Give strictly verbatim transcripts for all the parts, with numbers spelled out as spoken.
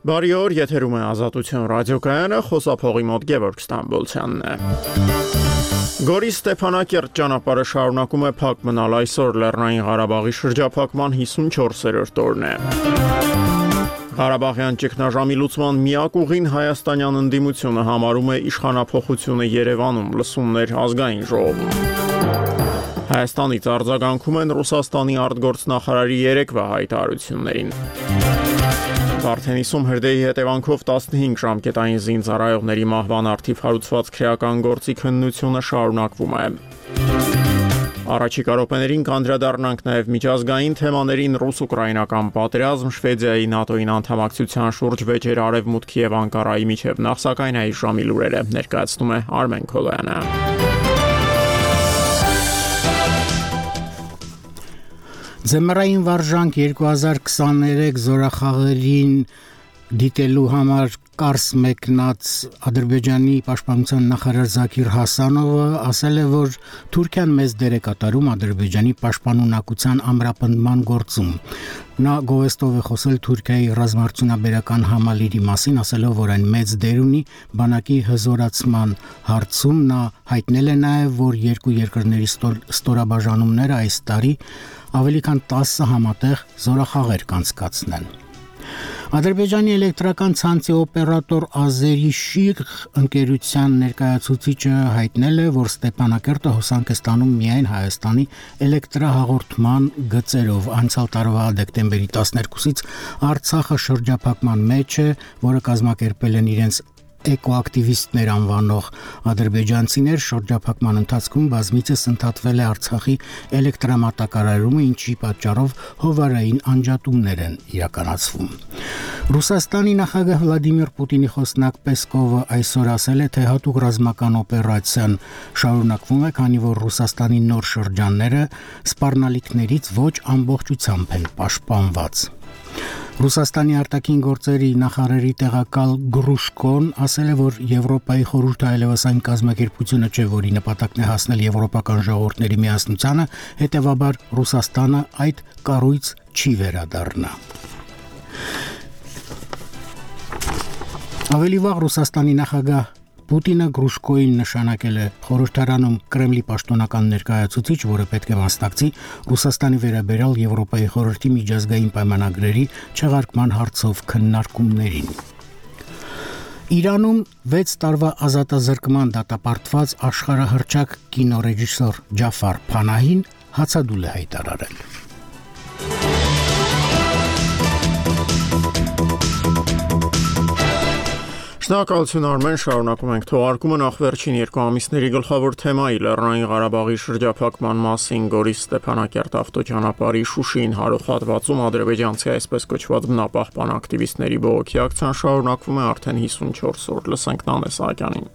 Բարի օր, եթերում է Ազատություն ռադիոկայանը, խոսափողի մոտ Գևորգ Ստամբոլցյանն է։ Գորի Ստեփանակերտ ճանապարհը շարունակում է փակ մնալ, այսօր Լեռնային Ղարաբաղի շրջափակման հիսունչորսերորդ օրն է։ Ղարաբաղյան ճգնաժամի լուծման միակ ուղին հայաստանյան ընդդիմությունը համարում է իշխանափոխությունը Երևանում, լսումներ ազգային ժողովում։ Հայաստանից արձագանքում են Ռուսաստանի արտգործնախարարի երեկվա հայտարարություններին։ Վարդենիսում հրդեհի հետևանքով տասնհինգ ժամկետային զինծառայողների մահվան առթիվ հարուցված քրեական գործի քննությունը շարունակվում է։ Առաջիկա րոպեներին կանդրադառնանք նաև միջազգային թեմաներին՝ ռուս-ուկրաինական պատերազմ, Շվեդիայի ՆԱՏՕ-ին անդամակցության շուրջ վեճեր Արևմուտքի եւ Անկարայի միջև, նախ սակայն այս ժամի լուրերը ներկայացնում է Արմեն Քոլոյանը։ Ձմեռային վարժանք երկու հազար քսաներեք զորախաղերին դիտելու համար Կարս մեկնած Ադրբեջանի պաշտպանության նախարար Զաքիր Հասանովը ասել է, որ Թուրքիան մեծ դեր է կատարում Ադրբեջանի պաշտպանունակության ամրապնդման գործում։ Նա գովեստով է խոսել Թուրքիայի ռազմարտությունաբերական համալիրի մասին, ասելով, որ այն մեծ դեր ունի բանակի հզորացման հարցում։ Նա հայտնել է նաև, որ երկու երկրների ստորաբաժանումները այս տարի ավելի քան տասը համատեղ զորախաղեր կանցկացնեն։ Ադրբեջանի էլեկտրական ցանցի օպերատոր Ազերի Շիղ ընկերության ներկայացուցիչը հայտնել է, որ Ստեփանակերտը հոսանք է ստանում միայն Հայաստանի էլեկտրահաղորդման գծերով։ Անցյալ տարվա դեկտեմբերի տասներկուսից Արցախը շրջափակման մեջ է, որը կազմակերպել են իրենց էկոակտիվիստներ անվանող ադրբեջանցիներ, շրջափակման ընթացքում բազմիցս ընդհատվել է Արցախի էլեկտրամատակարարումը, ինչի պատճառով հովարային անջատումներ են իրականացվում։ Ռուսաստանի նախագահ Վլադիմիր Պուտինի խոսնակ Պեսկովը այսօր ասել է, թե հատուկ ռազմական օպերացիան շարունակվում է, քանի որ Ռուսաստանի նոր շրջանները սպառնալիքներից ոչ ամբողջությամբ են պաշտպանված։ Ռուսաստանի արտաքին գործերի նախարարի տեղակալ Գրուշկոն ասել է, որ Եվրոպայի խորհուրդը այլևս այն կազմակերպությունը չէ, որի նպատակն է հասնել եվրոպական ժողովուրդների միասնությանը, հետևաբար Ռուսաստանը այդ կառույց չի վերադառնա։ Ավելի վաղ Ռուսաստանի նախագահ Պուտինը Գրուշկոին նշանակել է խորհրդարանում Կրեմլի պաշտոնական ներկայացուցիչ, որը պետք է մասնակցի Ռուսաստանի վերաբերյալ Եվրոպայի խորհրդի միջազգային պայմանագրերի չեղարկման հարցով քննարկումներին։ Իրանում վեց տարվա ազատազրկման դատապարտված աշխարհահռչակ կինոռեժիսոր Ջաֆար Փանահին հացադուլ է հայտարարել։ Շնորհակալություն Արմեն, շարունակում ենք թողարկումը նախ վերջին երկու ամիսների գլխավոր թեմայի Լեռնային Ղարաբաղի շրջափակման մասին Գորի Ստեփանակերտ ավտոճանապարհի Շուշին հարող հատվածում ադրբեջանցի այսպես կոչված բնապահպան ակտիվիստների բողոքի ակցիան շարունակվում է արդեն հիսունչորս օր, լսենք Նանե Սահակյանին։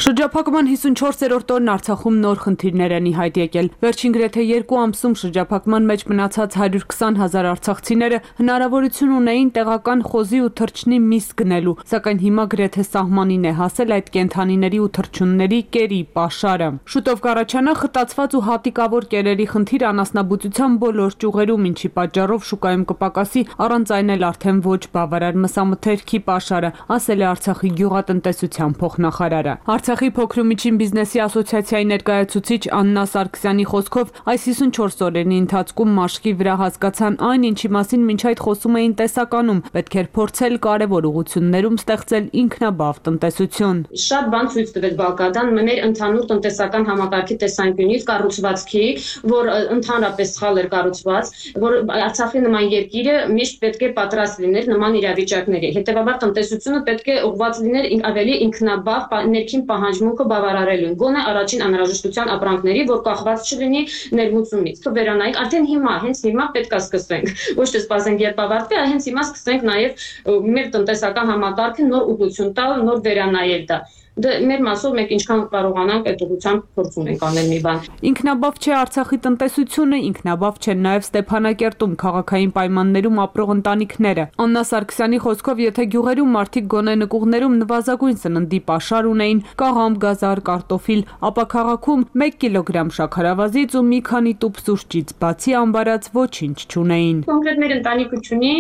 Շրջափակման հիսունչորսերորդ օրն Արցախում նոր խնդիրներ են ի հայտ եկել։ Վերջին գրեթե երկու ամսում շրջափակման մեջ մնացած հարյուր քսան հազար արցախցիները հնարավորություն ունեին տեղական խոզի ու թռչնի միս գնելու, սակայն հիմա գրեթե սահմանին է հասել այդ կենդանիների ու թռչունների կերի պաշարը։ Շուտով կառաջանա խտացված ու հատիկավոր կերերի խնդիր անասնաբուծության բոլոր ճյուղերում, ինչի պատճառով շուկայում կպակասի առանց այն էլ արդեն ոչ բավարար մսամթերքի պաշարը, ասել է Արցախի գյուղատնտեսության փոխնախարարը։ Արցախի փոքր ու միջին բիզնեսի ասոցիացիայի ներկայացուցիչ Աննա Սարգսյանի խոսքով այս հիսունչորս օրերի ընթացքում մաշկի վրա հասկացան այն, ինչի մասին մինչ այդ խոսում էին տեսականում, պետք էր փորձել կարևոր ուղղություններում ստեղծել ինքնաբավ տնտեսություն։ Շատ բան ցույց տվեց Բալկադան մեր ընդհանուր տնտեսական համակարգի տեսանկյունից, կառուցվածքի, որ ընդհանրապես սխալ էր կառուցված, որ Արցախի նման երկիրը միշտ պետք է պատրաստ լիներ նման իրավիճակների։ Հետևաբար տնտեսությունը պետք է ուղղված լիներ ավելի ինքնաբավ ներքին պահանջմունքը բավարարելուն, գոնե առաջին անհրաժեշտության ապրանքների, որ կախված չլինի ներմուծումից։ Վերանայեք, արդեն հիմա, հենց հիմա պետք է սկսենք։ Ոչ թե սպասենք, երբ ավարտվի, այլ հենց հիմա սկսենք նաև մեր տնտեսական համակարգը նոր ուղղություն տալ, նոր վերանայել դա։ Դե մեր մասով մենք ինչքան կարողանանք այդ ուղղությամբ փորձում ենք անել մի բան։ Ինքնաբավ չէ Արցախի տնտեսությունը, ինքնաբավ չեն նաև Ստեփանակերտում քաղաքային պայմաններում ապրող ընտանիքները։ Աննա Սարգսյանի խոսքով, եթե գյուղերում մարդիկ գոնե նկուղներում նվազագույն սննդի պաշար ունեին՝ կաղամբ, գազար, կարտոֆիլ, ապա քաղաքում մեկ կիլոգրամ շաքարավազից ու մի քանի տուփ սուրճից բացի ամբարած ոչինչ չունեին։ Կոնկրետ մեր ընտանիքը չունի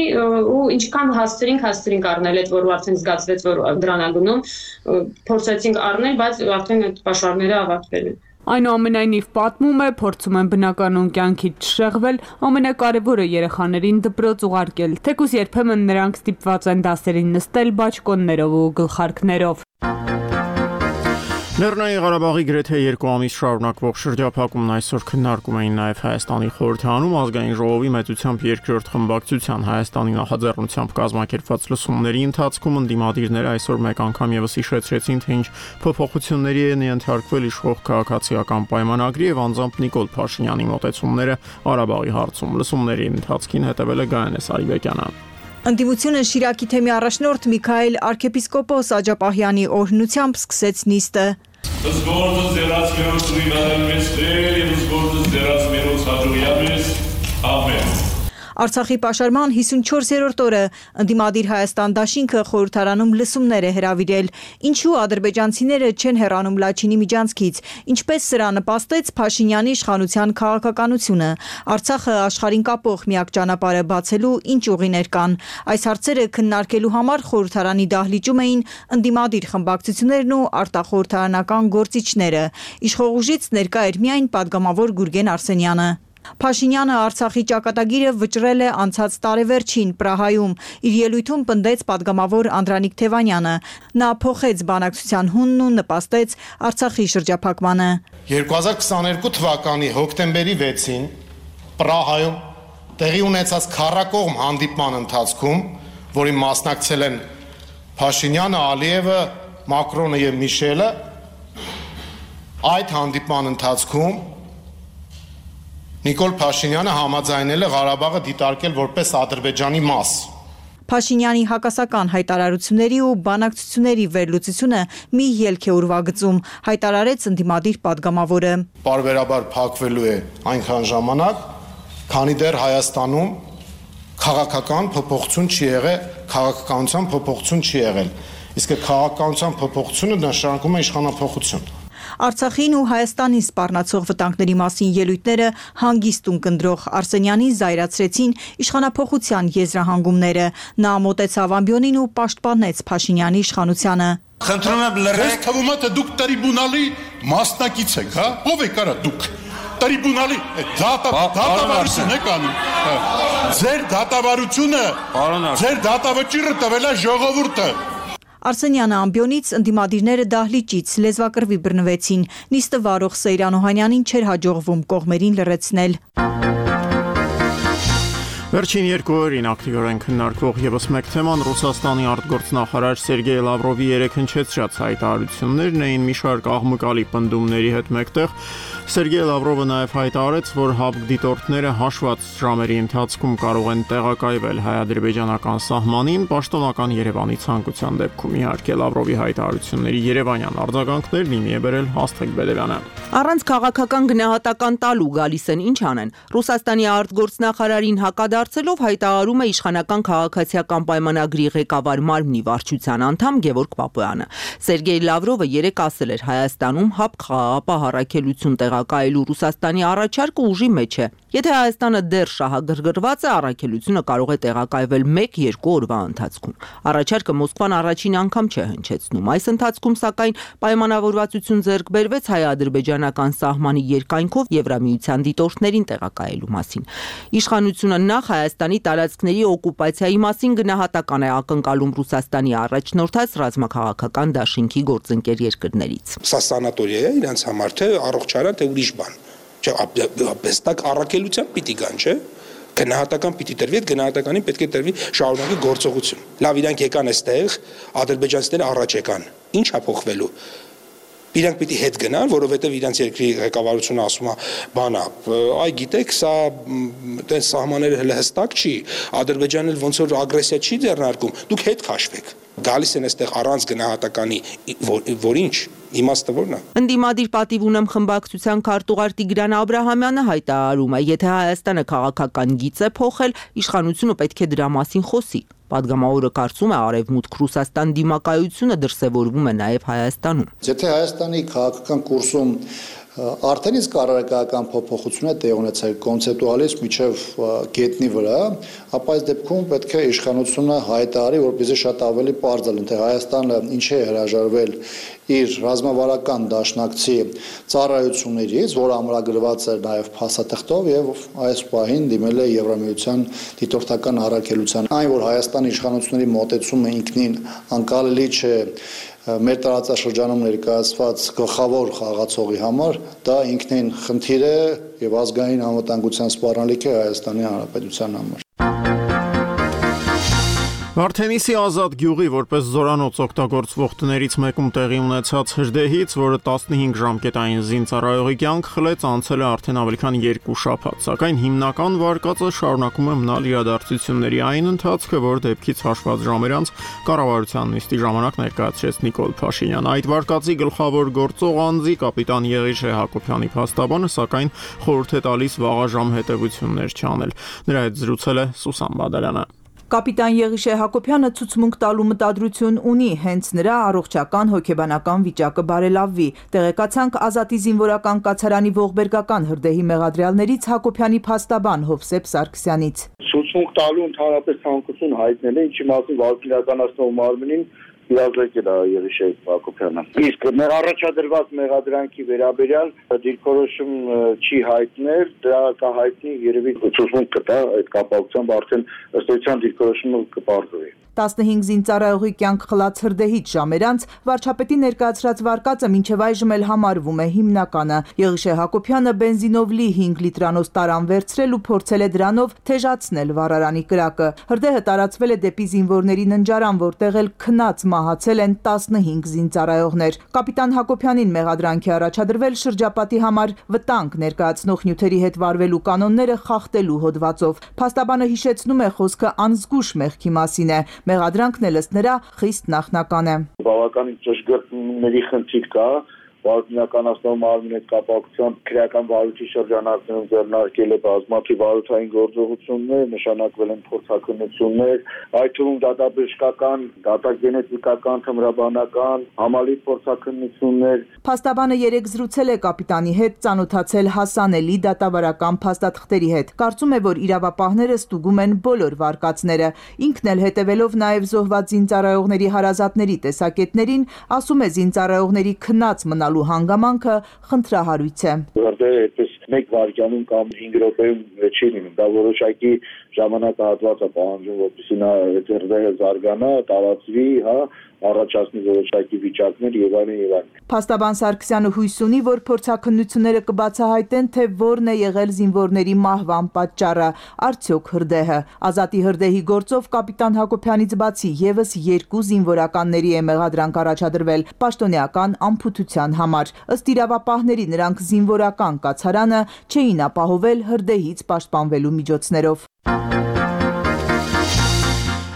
ու ինչքան հասցրինք, հասցրինք առնել այդ, որ արդեն զգացվեց, որ դրան է գնում, փորձեցինք առնել, բայց արդեն այդ պաշարները ավարտվել են։ Այնուամենայնիվ պատմում է, փորձում են բնականon կյանքից չշեղվել, ամենակարևորը երեխաներին դպրոց ուղարկել, թեկուզ երբեմն նրանք ստիպված են դասերին նստել բաճկոններով ու գլխարկներով։ Լեռնային Ղարաբաղի գրեթե երկու ամիս շարունակվող շրջափակումն այսօր քննարկում էին նաև Հայաստանի խորհրդարանում ազգային ժողովի մեծությամբ երկրորդ խմբակցության Հայաստանի նախաձեռնությամբ կազմակերպված լսումների ընթացքում ընդդիմադիրները այսօր մեկ անգամ ևս հիշեցրեցին, թե ինչ փոփոխությունների են ենթարկվել իշխող քաղաքացիական պայմանագրի եւ անձամբ Նիկոլ Փաշինյանի մոտեցումները Ղարաբաղի հարցում։ Լսումների ընթացքին հետևել է Գայանե Սարիբեկյանը։ Ընդդիմությունը Շիրակի թեմի առաջնորդ Միքայել արքեպիսկոպոս Աջապահյանի օրհնությամբ սկսեց նիստը։ Զգորդը ձերած մերոց ուիվարել մեզ Տեր և զգորդը ձերած մերոց հաջողյա մեզ, ամեն։ Արցախի պաշարման հիսունչորսերորդ օրը ընդդիմադիր Հայաստան դաշինքը խորհրդարանում լսումներ է հրավիրել, ինչու ադրբեջանցիները չեն հեռանում Լաչինի միջանցքից, ինչպես սրա նպաստեց Փաշինյանի իշխանության քաղաքականությունը, Արցախը աշխարհին կապող միակ ճանապարհը բացելու ինչ ուղիներ կան։ Այս հարցերը քննարկելու համար խորհրդարանի դահլիճում էին ընդդիմադիր խմբակցություններն ու արտախորհրդարանական գործիչները։ Իշխող ուժից ներկա էր միայն падգամավոր Գուրգեն Արսենյանը։ Փաշինյանը Արցախի ճակատագիրը վճռել է անցած տարեվերջին Պրահայում, իր ելույթում պնդեց падգամավոր Անդրանիկ Թևանյանը։ Նա փոխեց բանակցության հունն ու նպաստեց Արցախի շրջափակմանը։ երկու հազար քսաներկու թվականի հոկտեմբերի վեցին Պրահայում տեղի ունեցած քառակողմ հանդիպման ընթացքում, որին մասնակցել են Փաշինյանը, Ալիևը, Մակրոնը եւ Միշելը, այդ հանդիպման ընթացքում Նիկոլ Փաշինյանը համաձայնել է Ղարաբաղը դիտարկել որպես Ադրբեջանի մաս։ Փաշինյանի հակասական հայտարարությունների ու բանակցությունների վերլուծությունը մի ելք է ուրվագծում, հայտարարեց ընդդիմադիր падգամավորը։ Պարբերաբար փակվելու է այնքան ժամանակ, քանի դեռ Հայաստանում քաղաքական փոփոխություն չի եղել, քաղաքականության փոփոխություն չի եղել։ Իսկ քաղաքականության փոփոխությունը նշանակում է իշխանափոխություն։ Արցախին ու Հայաստանին սպառնացող վտանգների մասին ելույթները հանգիստ ունկնդրող Արսենյանին զայրացրեցին իշխանափոխության եզրահանգումները։ Նա մոտեցավ ամբիոնին ու պաշտպանեց Փաշինյանի իշխանությանը։ Խնդրում եմ լրեք, թվում է թե դուք տրիբունալի մասնակից եք, հա? Ո՞վ եք արա դուք։ Տրիբունալի դատավարություն եք անում։ Ձեր դատավարությունը, ձեր դատավճիռը տվել է ժողովուրդը։ Արսենյանը ամբիոնից, ընդդիմադիրները դահլիճից լեզվակռվի բռնվեցին։ Նիստը վարող Սեյրան Օհանյանին չէր հաջողվում կողմերին լրացնել։ Վերջին երկու օրերին ակտիվորեն քննարկվող ևս մեկ թեման Ռուսաստանի արտգործնախարար Սերգեյ Լավրովի երեք հնչեցրած հայտարարություններն էին մի շարք աղմկալի պնդումների հետ մեկտեղ։ Սերգեյ Լավրովը նաև հայտարարեց, որ ՀԱԲԿ դիտորդները հաշված ժամերի ընթացքում կարող են տեղակայվել հայ-ադրբեջանական սահմանին, պաշտոնական Երևանի ցանկության դեպքում իհարկե Լավրովի հայտարարությունների երևանյան արձագանքներն իմի է բերել Աստղիկ Բեդևյանը։ Առանց քաղաքական գնահատական տալու գալիս են ինչ անեն։ Ռուսաստանի արտգործնախարարին հակադարձելով հայտարարում է իշխանական քաղաքացիական պայմանագրի ղեկավար մարմնի վարչության անդամ Գևորգ Պապոյանը։ Սերգեյ Լավրովը երեկ ասել էր Հայաստանում ՀԱԲԿ խաղաղապահ առաքելություն տեղակայելու Ռուսաստանի առաջարկը ուժի մեջ է։ Եթե Հայաստանը դեռ շահագրգռված է, առաքելությունը կարող է տեղակայվել մեկ-երկու օրվա ընթացքում։ Առաջարկը Մոսկվան առաջին անգամ չէ հնչեցնում։ Այս ընթացքում սակայն պայմանավորվածություն ձեռք բերվեց հայ-ադրբեջանական սահմանի երկայնքով Եվրամիության դիտորդներին տեղակայելու մասին։ Իշխանությունը նախ Հայաստանի տարածքների օկուպացիայի մասին գնահատական է ակնկալում Ռուսաստանի առաջնորդած ռազմաքաղաքական դաշինքի գործընկեր երկրներից։ Սա սանատորիա է իրենց համար, թե առողջարան, թե ուրիշ բան։ Չէ, ապեստակ առաքելության պիտի կան, չէ։ Գնահատական պիտի տրվի, այդ գնահատականին պետք է տրվի շարունակի գործողություն։ Լավ, իրանք եկան այստեղ, ադրբեջանցիները առաջ եկան։ Ինչ է փոխվելու։ Իրանք պիտի հետ գնան, որովհետև իրանք երկրի ղեկավարությունը ասում է, բանա, այ գիտեք, սա տենց սահմանները հələ հստակ չի, Ադրբեջանը ոնց որ ագրեսիա չի ձեռնարկում, դուք հետ քաշվեք։ Գալիս են այստեղ առանց գնահատականի, որ ինչ իմաստը որն է։ Ընդդիմադիր պատիվ ունեմ խմբակցության քարտուղար Տիգրան Աբրահամյանը հայտարարում է, եթե Հայաստանը քաղաքական գիծ է փոխել, իշխանությունը պետք է դրա մասին խոսի։ Պատգամավորը կարծում է, Արևմուտք Ռուսաստան դիմակայությունը դրսևորվում է նաև Հայաստանում։ Եթե Հայաստանի քաղաքական կուրսում արդեն իսկ առարկայական փոփոխություն է տեղ ունեցել կոնցեպտուալից միջև գետնի վրա, ապա այս դեպքում պետք է իշխանությունը հայտարարի, որպեսզի շատ ավելի պարզ լինի, թե Հայաստանը ինչ է հրաժարվել իր ռազմավարական դաշնակցի ծառայություններից, որը ամրագրված էր նաև փաստաթղթով եւ այս պահին դիմել է Եվրամիության դիտորդական առաքելության։ Այն, որ Հայաստանի իշխանությունների մոտեցումը ինքնին անկալելի չէ մեր տարածաշրջանում ներկայացված գլխավոր խաղացողի համար, դա ինքնին խնդիր է եւ ազգային անվտանգության սպառնալիք է Հայաստանի Հանրապետության համար։ Վարդենիսի ազատ գյուղի որպես զորանոց օգտագործվող տներից մեկում տեղի ունեցած հրդեհից, որը տասնհինգ ժամկետային զինծառայողի կյանք խլեց, անցել է արդեն ավելի քան երկու շաբաթ, սակայն հիմնական վարկածը շարունակում է մնալ իրադարձությունների այն ընթացքը, որ դեպքից հաշված ժամեր անց կառավարության նիստի ժամանակ ներկայացրեց Նիկոլ Փաշինյանը։ Այդ վարկածի գլխավոր գործող անձի կապիտան Եղիշե Հակոբյանի փաստաբանը, սակայն խորհուրդ է տալիս վաղաժամ հետևություններ չանել։ Նրա հետ զրուցել է Սուսան Բադալյանը։ Կապիտան Եղիշե Հակոբյանը ցուցմունք տալու մտադրություն ունի, հենց նրա առողջական հոգեբանական վիճակը բարելավվի։ Տեղեկացանք Ազատի զինվորական կացարանի ողբերգական հրդեհի մեղադրյալներից Հակոբյանի փաստաբան Հովսեփ Սարգսյանից։ Ցուցմունք տալու ընդհանրապես ցանկություն հայտնել է, ինչի մասին վարչությունականացնող մարմնին իրազեկել է Եղիշե Հակոբյանը։ Իսկ մեր առաջադրված մեղադրանքի վերաբերյալ դիրքորոշում չի հայտնել, դրա կհայտնի երևի ցուցմունք կտա այդ կապակցությամբ արդեն ըստ էության դիրքորոշումը կպարզվի։ տասնհինգ զինծառայողի կյանք խլած հրդեհից ժամեր անց վարչապետի ներկայացրած վարկածը մինչև այժմ էլ համարվում է հիմնականը։ Եղիշե Հակոբյանը բենզինով լի հինգ լիտրանոց տարան վերցրել ու փորձել է դրանով թեժացնել վառարանի կրակը։ Հրդեհը տարածվել է դեպի զինվորների ննջարան, որտեղ էլ քնած մահացել են տասնհինգ զինծառայողներ։ Կապիտան Հակոբյանին մեղադրանքի առաջադրվել շրջապատի համար վտանգ ներկայացնող նյութերի հետ վարվելու կանոնները խախտելու հոդվածով։ Փաստաբանը հիշեցնում է, խոսքը անզգուշ մեղքի մասին է։ Մեղադրանքն էլ ըստ նրա խիստ նախնական է։ Բավականին ճշգրտների խնդիր կա, վարչությունականացնող մարմինի հետ կապակցությամբ քրեական վարույթի շրջանակներում ձեռնարկել է բազմաթիվ վարութային գործողություններ, նշանակվել են փորձաքննություններ, այդ թվում դատաբժշկական, դատագենետիկական, թմրաբանական, համալիր փորձաքննություններ։ Փաստաբանը երեք զրուցել է կապիտանի հետ, ծանոթացել հասանելի դատավարական փաստաթղթերի հետ։ Կարծում է, որ իրավապահները ստուգում են բոլոր վարկածները։ Ինքն էլ հետևելով նաև զոհված զինծառայողների հարազատների տեսակետներին, ասում է զինծառայողների քնած մնալու հանգամանքը խնդրահարույց է։ Որտեղ այդպես մեկ վայրկյանում կամ հինգ րոպեում չի լինում, դա որոշակի ժամանակահատված է պահանջում, որպեսզի նա հրդեհը զարգանա, տարածվի, հա, առաջացնի որոշակի վիճակներ եւ այլն եւ այլն։ Փաստաբան Սարգսյանը հույս ունի, որ փորձաքննությունները կբացահայտեն, թե որն է եղել զինվորների մահվան պատճառը, արդյոք հրդեհը։ Ազատի հրդեհի գործով կապիտան Հակոբյանից բացի եւս երկու զինվորականների է մեղադրանք առաջադրվել պաշտոնեական անփութության համար։ Ըստ իրավապահների, նրանք զինվորական կացարանը չէին ապահովել հրդեհից պաշտպանվելու միջոցներով։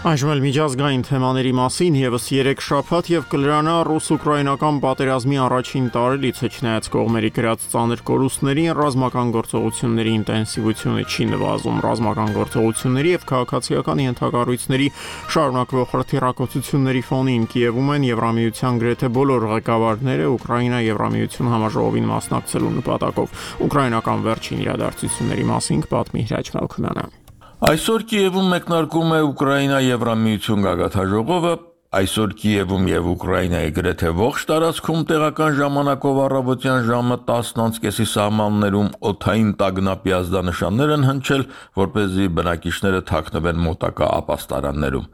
Այժմ էլ միջազգային թեմաների մասին եւս երեք շաբաթ եւ կլրանա ռուս-ուկրաինական պատերազմի առաջին տարելիցը, չնայած կողմերի գրած ծանր կորուստներին, ռազմական գործողությունների ինտենսիվությունը չի նվազում։ Ռազմական գործողությունների եւ քաղաքացիական ենթակառույցների շարունակվող հրթիռակոծությունների ֆոնին Կիևում են Եվրամիության գրեթե բոլոր ղեկավարները Ուկրաինա Եվրամիություն համաժողովին մասնակցելու նպատակով։ Ուկրաինական վերջին իրադարձությունների մասին պատմի Հրաչ Մալքոմյանը։ Այսօր Կիևում մեկնարկում է Ուկրաինա-Եվրամիություն գագաթնաժողովը, այսօր Կիևում եւ Ուկրաինայի գրեթե ողջ տարածքում տեղական ժամանակով առավոտյան ժամը տասն անց կեսի սահմաններում օդային տագնապի ազդանշաններ են հնչել, որպեսզի բնակիչները թաքնվեն մոտակա ապաստարաններում։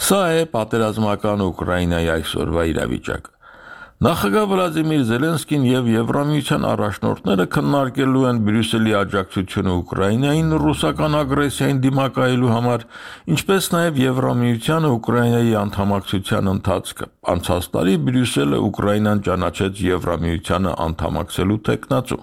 Սա է պատերազմական Ուկրաինայի այսօրվա իրավիճակը։ Նախագահ Վլադիմիր Զելենսկին եւ Եվրամիության առաջնորդները քննարկելու են Բրյուսելի աջակցությունը Ուկրաինային ռուսական ագրեսիային դիմակայելու համար, ինչպես նաեւ Եվրամիությանը Ուկրաինայի անդամակցության ընթացքը։ Անցած տարի Բրյուսելը Ուկրաինան ճանաչեց Եվրամիությանը անդամակցելու տեխնացու։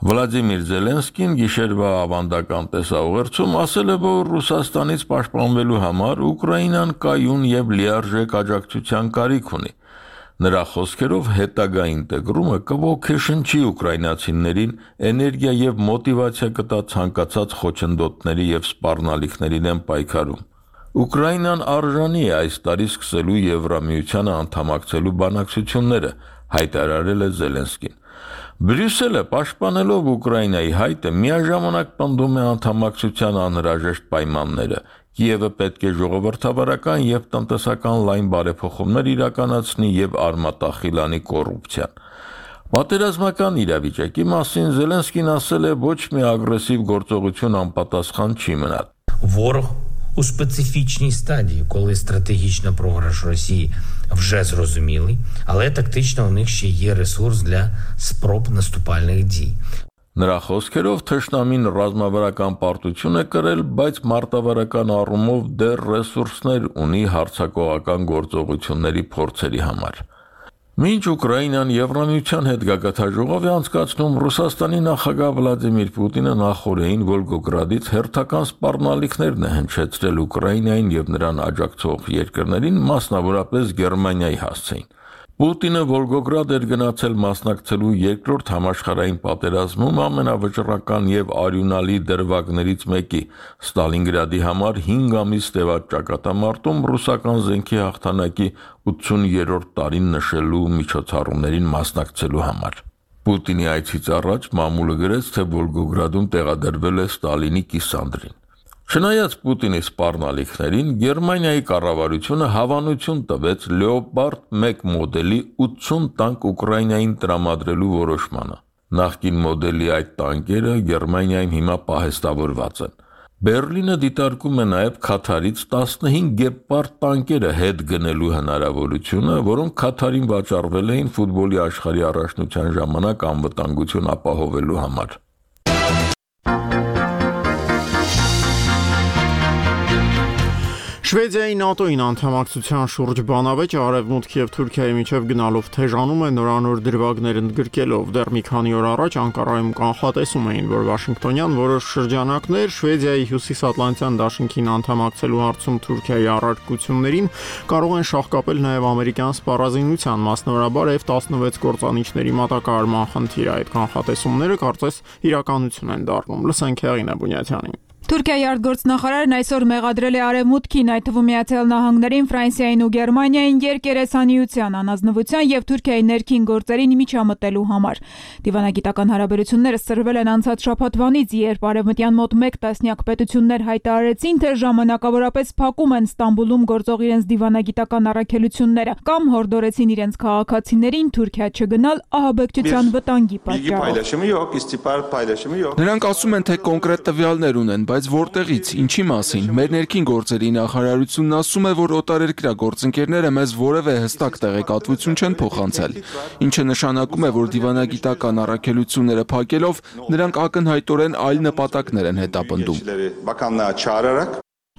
Վլադիմիր Զելենսկին գիշերվա ավանդական տեսաուղերձում ասել է, որ Ռուսաստանից պաշտպանվելու համար Ուկրաինան կայուն եւ լիարժեք աջակցության կարիք ունի։ Նրա խոսքերով հետագա ինտեգրումը կոգեշնչի ուկրաինացիներին, էներգիա եւ մոտիվացիա կտա ցանկացած խոչընդոտների եւ սպառնալիքների դեմ պայքարում։ Ուկրաինան արժանի է այս տարի սկսելու Եվրամիությանը անդամակցելու բանակցությունները, հայտարարել է Զելենսկին։ Բրյուսելը պաշտպանելով Ուկրաինայի հայտը միաժամանակ պնդում է անդամակցության անհրաժեշտ պայմանները։ Կիևը պետք է ժողովրդավարական եւ տնտեսական լայն բարեփոխումներ իրականացնի եւ արմատախիլանի կոռուպցիան։ Պատերազմական իրավիճակի մասին Զելենսկին ասել է, ոչ մի ագրեսիվ գործողություն անպատասխան չի մնա։ Ворог у специфічній стадії, коли стратегічний програш Росії вже зрозумілий, але тактично у них ще є ресурс для спроб наступальних дій. Նրա խոսքերով թշնամին ռազմավարական պարտություն է կրել, բայց մարտավարական առումով դեռ ռեսուրսներ ունի հարձակողական գործողությունների փորձերի համար։ Մինչ Ուկրաինան Եվրամիության հետ գագաթաժողով է անցկացնում, Ռուսաստանի նախագահ Վլադիմիր Պուտինը նախորդին Վոլգոգրադից հերթական սպառնալիքներն է հնչեցրել Ուկրաինային եւ նրան աջակցող երկրներին, մասնավորապես Գերմանիայի հասցեին։ Պուտինը Վոլգոգրադ էր գնացել մասնակցելու երկրորդ համաշխարհային պատերազմում ամենավճռական եւ արյունալի դրվագներից մեկի Ստալինգրադի համար հինգ ամիս տևած ճակատամարտում ռուսական զենքի հաղթանակի ութսուներորդ տարին նշելու միջոցառումներին մասնակցելու համար։ Պուտինի այցից առաջ մամուլը գրեց, թե Վոլգոգրադում տեղադրվել է Ստալինի կիսանդրին։ Չնայած Պուտինի սպառնալիքներին, Գերմանիայի կառավարությունը հավանություն տվեց Լեոպարդ մեկ մոդելի ութսուն տանկ Ուկրաինային տրամադրելու որոշմանը։ Նախկին մոդելի այդ տանկերը Գերմանիայում հիմա պահեստավորված են։ Բերլինը դիտարկում է նաև Քաթարից տասնհինգ Գեպարդ տանկերը հետ գնելու հնարավորությունը, որոնք Քաթարին վաճառվել էին ֆուտբոլի աշխարհի առաջնության ժամանակ անվտանգություն ապահովելու համար։ Շվեդիայի ՆԱՏՕ-ին անդամակցության շուրջ բանավեճը Արևմուտքի եւ Թուրքիայի միջև գնալով թեժանում է նորանոր դրվագներ ընդգրկելով։ Դեռ մի քանի օր առաջ Անկարայում կանխատեսում էին, որ Վաշինգտոնյան որոշ շրջանակներ Շվեդիայի հյուսիսատլանտյան դաշինքին անդամակցելու հարցում Թուրքիայի առարկություններին կարող են շահկապել նաեւ ամերիկյան սպառազինության, մասնավորաբար F տասնվեց կործանիչների մատակարարման խնդիրը։ Այդ կանխատեսումները կարծես իրականություն են դառնում։ Լսենք Հեղինե Բունյաթյանին։ Թուրքիայի արտգործնախարարն այսօր մեղադրել է Արևմուտքին, այդ թվում Միացյալ Նահանգներին, Ֆրանսիային ու Գերմանիային երկերեսանիության, անազնվության եւ Թուրքիայի ներքին գործերին միջամտելու համար։ Դիվանագիտական հարաբերությունները սրվել են անցած շաբաթվանից, երբ արևմտյան մոտ մեկ տասնյակ պետություններ հայտարարեցին, թե ժամանակավորապես փակում են Ստամբուլում գործող իրենց դիվանագիտական առաքելությունները կամ հորդորեցին իրենց քաղաքացիներին Թուրքիա չգնալ ահաբեկչության վտանգի պատճառով։ Նրանք ասում են, թե կոնկրետ տվյալներ ունեն, բայց որտեղից, ինչի մասին։ Մեր ներքին գործերի նախարարությունն ասում է, որ օտարերկրյա գործընկերները մեզ որևէ հստակ տեղեկատվություն չեն փոխանցել, ինչը նշանակում է, որ դիվանագիտական առաքելությունները փակելով նրանք ակնհայտորեն այլ նպատակներ են հետապնդում։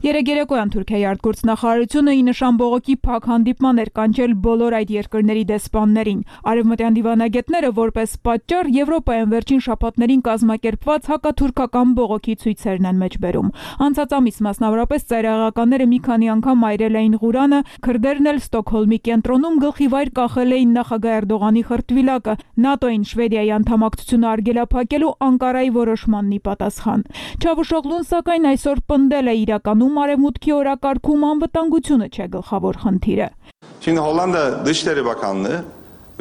Երեգերեկոյան Թուրքիայի արտգործնախարարությունը ի նշան բողոքի փակ հանդիպման էր կանչել բոլոր այդ երկրների դեսպաններին։ Արևմտյան դիվանագետները որպես պատճառ Եվրոպայում վերջին շաբաթներին կազմակերպված հակաթուրքական բողոքի ցույցերն են մեջբերում։ Անցած ամիս մասնավորապես ծայրահեղականները մի քանի անգամ այրել էին Ղուրանը, քրդերն էլ Ստոկհոլմի կենտրոնում գլխիվայր կախել էին նախագահ Էրդողանի խրտվիլակը, ՆԱՏՕ-ին Շվեդիայի անդամակցությունը արգելափակելու Անկարայի որոշմանն ի պատասխան։ Չավուշօղլուն սակայն այսօր պնդել է իրականում Արևմուտքի օրակարգում անվտանգությունը չէ գլխավոր խնդիրը։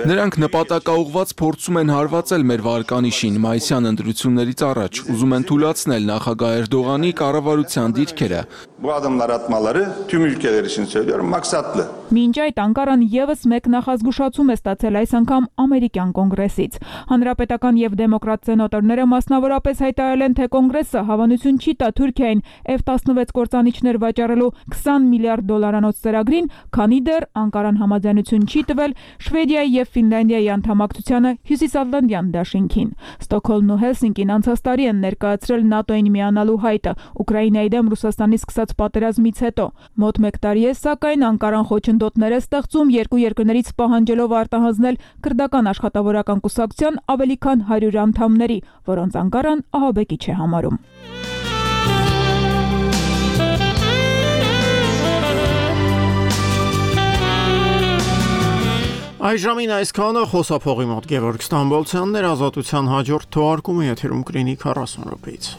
Նրանք նպատակաուղված փորձում են հարվածել մեր վարկանիշին մայիսյան ընտրություններից առաջ, ուզում են թույլատրել նախագահ Էրդողանի կառավարության դիրքերը։ Մինչ այդ Անկարան եւս մեկ նախազգուշացում է ստացել այս անգամ ամերիկյան կոնգրեսից։ Հանրապետական եւ դեմոկրատ սենատորները մասնավորապես հայտարարել են, թե կոնգրեսը հավանություն չի տա Թուրքիային F տասնվեց կործանիչներ վաճառելու քսան միլիարդ դոլարանոց ծրագրին, քանի դեռ Անկարան համաձայնություն չի տվել Շվեդիայի եւ Ֆինլանդիայի անդամակցությանը Հյուսիսատլանտյան դաշինքին։ Ստոկհոլմն ու Հելսինկին անցած տարի են ներկայացրել ՆԱՏՕ-ին միանալու հայտը Ուկրաինայի դեմ Ռուսաստանի սկսած պատերազմից հետո։ Մոտ մեկ տարի է, սակայն Անկարան խոչընդոտներ է ստեղծում երկու երկրներից պահանջելով արտահանձնել քրդական աշխատավորական կուսակցության ավելի քան հարյուր անդամների, որոնց Անկարան ահաբեկիչ է համարում։ Այժմին այսքանը խոսափողի մոտ Գևորգ Ստամբոլցյանն էր, Ազատության հաջորդ թողարկումը եթերում կլինի քառասուն րոպեից։